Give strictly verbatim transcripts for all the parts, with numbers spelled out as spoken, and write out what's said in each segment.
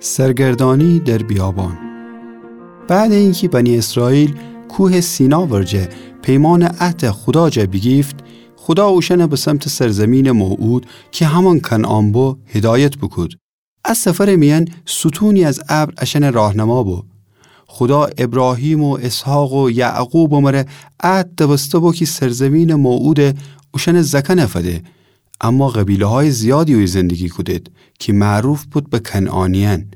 سرگردانی در بیابان. بعد اینکی بنی اسرائیل کوه سینا ورجه پیمان عهد خودا جا بیگیفت، خودا اوشأن به سمت سرزمین موعود کی همأن کنعان بو، هدایت بوکود. ا سفر میأن ستونی از ابر اشأن راهنما بو. خودا ابراهیم و اسحاق و یعقوب مره عهد دبسته بو کی سرزمین موعود اوشأن زأکأن فده. اما قبیله‌های زیادی اویه زندگی کودید کی معروف بود به کنعانیأن.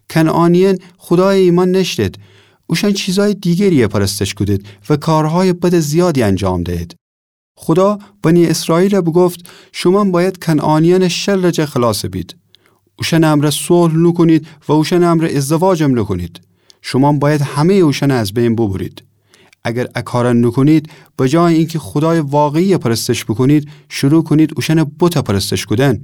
کنعانیأن خودایَ ایمأن نأشتید. اوشأن چیزای دیگریَ پرستش کودید و کارهای بد زیادی انجام دهید. خودا بنی اسرائیلَ بوگفت: شومأن بأید کنعانیأنَ شرٚ جا خلاص بید. اوشأنٚ امرأ صلح نوکونید و اوشأنٚ امرأ ازدواجم نوکونید. شومأن بأید همه‌یٚ اوشأنَ از بین بوبرید. اگر ا کارَ نوکونید، به جای اینکی خودایٚ واقعیَ پرستش بوکونید، شروع کونید اوشأنٚ بتَ پرستش کودن.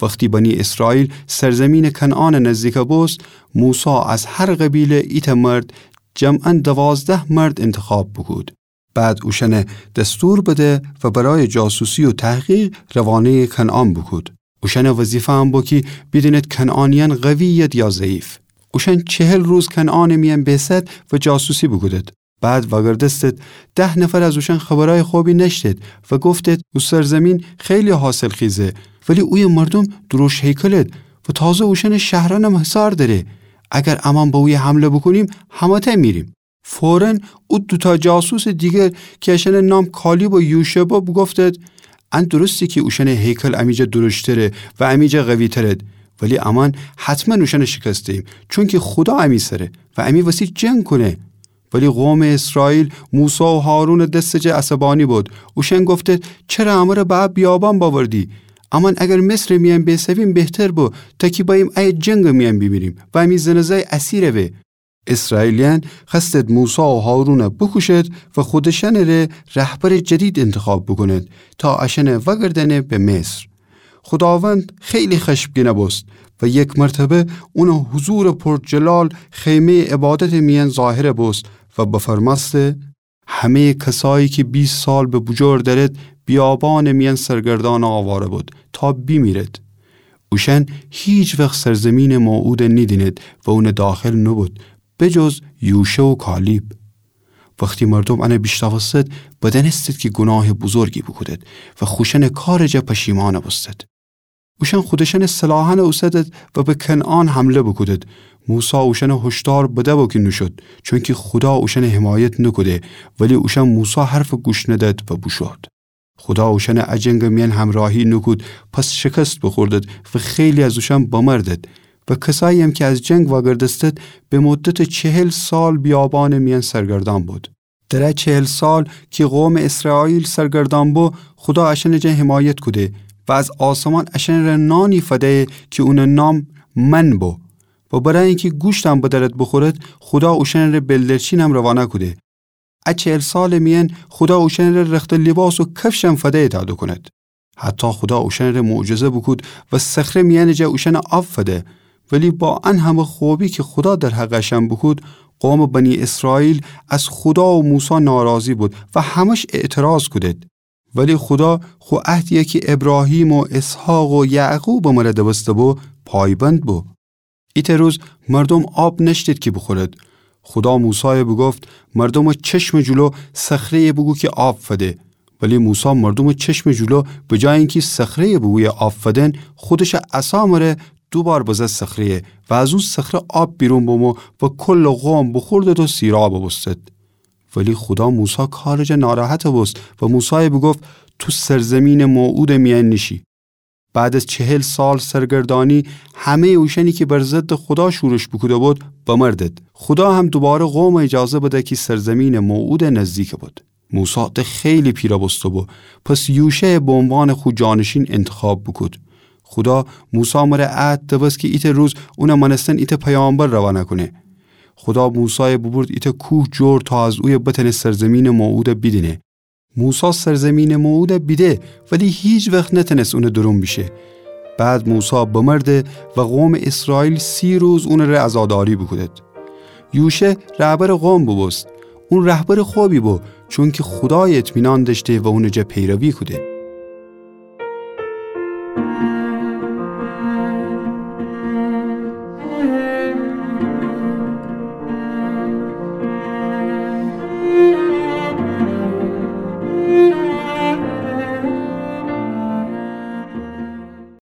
وختی بنی اسرائیل سرزمینٚ کنعانَ نزدیکَ بوست، موسی از هر قبیله ایتأ مرد، جمعاً دوازده مرد انتخاب بوکود. بعد اوشأنَ دستور بده و برای جاسوسی و تحقیق روانه‌یٚ کنعان بوکود. اوشأنٚ وظیفه ا بو کی بیدینید کنعانیأن قوی‌ید یا ضعیف. اوشأن چهل روز کنعانٚ میأن بیسد و جاسوسی بوکودید. بعد وأگردستید، ده نفر از اوشأن خبرأیٚ خوبی نأشتید و گفتید: او سرزمین خیلی حاصلخیزه، ولی اویه مردوم دروشم هیکلید و تازه اوشأنٚ شهرأنم حصار دأره. اگر امأن به اویه حمله بوکونیم، همه‌تأ میریم. فوراً او دوتأ جاسوسٚ دیگر کی اشأنٚ نام کالیب و یوشع بو، بوگفتید: ان درسته کی اوشأنٚ هیکل امی جا دروشتره و امی جا قوی‌ترید، ولی امأن حتماً اوشأنَ شکست دهیم، چونکی خودا امی سره و امی وسی جنگ کونه. ولی قومٚ اسرائیل موسی و هارونٚ دستٚ جا عصبانی بود. اوشأن گفتید: چره امره به ا بیابان بأوردی؟ امأن اگر مصرٚ میأن بیسویم بهتر بو، تا کی بأییم ایه جنگٚ میأن بیمیریم و امی زنٚ زأی اسیر به. اسرائیلیأن خوأستید موسی و هارونَ بوکوشید و خودشأنٚ ره رهبرٚ جدید انتخاب بوکونید تا اشأنَ وأگردأنه به مصر. خوداوند خیلی خشمگین بوست و یک مرتبه اونٚ حضورٚ پرجلال خیمه‌یٚ عبادتٚ میأن ظاهر بوست و بفرمأسته: همه‌یٚ کسایی کی بیست سال به بوجور دأرید، بیابانٚ میأن سرگردان و آواره بود تا بیمیرید. اوشأن هیچ وخت سرزمینٚ موعودَ نیدینید و اونٚ داخل نوبود، به جز یوشع و کالیب. وختی مردوم انَ بیشنوستید، بدأنستید کی گوناهٚ بزرگی بوکودید و خوشأنٚ کارٚ جا پشیمان بوستید. اوشأن خودشأنٚ سلاحأنَ اوسدید و به کنعان حمله بوکودید. موسی اوشأنَ هشدار بده بو کی نوشود، چونکی خودا اوشأنَ حمایت نوکوده، ولی اوشأن موسی حرفَ گوش ندید و بوشود. خودا اوشأنَ ا جنگٚ میأن همراهی نوکود، پس شکست بوخوردید و خیلی از اوشأن بمردید و کسایی‌یم کی از جنگ وأگردستید، به مدتٚ چهل سال بیابانٚ میأن سرگردان بود. در ا چهل سال کی قومٚ اسرائیل سرگردان بو، خودا اشأنٚ جا حمایت کوده و از آسمان اشأنٚ ره نانی فده‌یه کی اونٚ نام من بو و برای اینکی گوشتم بدأرید بوخورید، خودا اوشأنٚ ره بلدرچینم روانه کوده. ا چهل سالٚ میأن خودا اوشأنٚ ره رختٚ لیباس و کفشم فده‌یه تا دوکونید. حتی خودا اوشأنٚ ره معجزه بوکود و صخره میأنٚ جا اوشأنَ آب فده. ولی با ان همه خوبی کی خودا در حقٚ اشأن بوکود، قومٚ بنی اسرائیل از خودا و موسی ناراضی بود و همش اعتراض کودید. ولی خودا خو عهدی‌یَ کی ابراهیم و اسحاق و یعقوبٚ مره دبسته بو، پایبند بو. ایتأ روز مردوم آب نأشتید کی بوخورید. خودا موسایَ بوگفت: مردومٚ چشمٚ جلو صخره‌یَ بوگو کی آب فده. ولی موسی مردومٚ چشمٚ جلو به جای اینکی صخره‌یَ بوگویه آب فدن، خودشٚ عصا مره دو بار بزد صخره‌یَ و از او صخره آب بیرون بمو و کلٚ قوم بوخوردید و سیراب بوستید. ولی خودا موسی کارٚ جا ناراحت بوست و موسایَ بوگفت: تو سرزمینٚ موعودٚ میأن نیشی. بعد از چهل سال سرگردانی، همه‌یٚ اوشأنی کی بر ضدٚ خودا شورش بوکوده بود، بمردید. خودا هم دوباره قومَ اجازه بده کی سرزمینٚ موعودَ نزدیک بود. موسی ده خیلی پیره بوسته بو، پس یوشعَ به عنوانٚ خو جانشین انتخاب بوکود. خودا موسی مره عهد دبست کی ایتأ روز اونٚ مأنستن ایتأ پیامبر روانه کونه. خودا موسایَ بوبورد ایتأ کوه جور تا از اویه بتأنه سرزمینٚ موعودَ بیدینه. موسی سرزمینٚ موعودَ بیده، ولی هیچ وخت نتأنست اونٚ درون بیشه. بعد موسی بمرده و قومٚ اسرائیل سی روز اونٚ ره عزاداری بوکودید. یوشع رهبرٚ قوم بوبوست. اون رهبرٚ خوبی بو، چونکی خودایَ اطمینان دأشته و اونٚ جا پیروی کوده.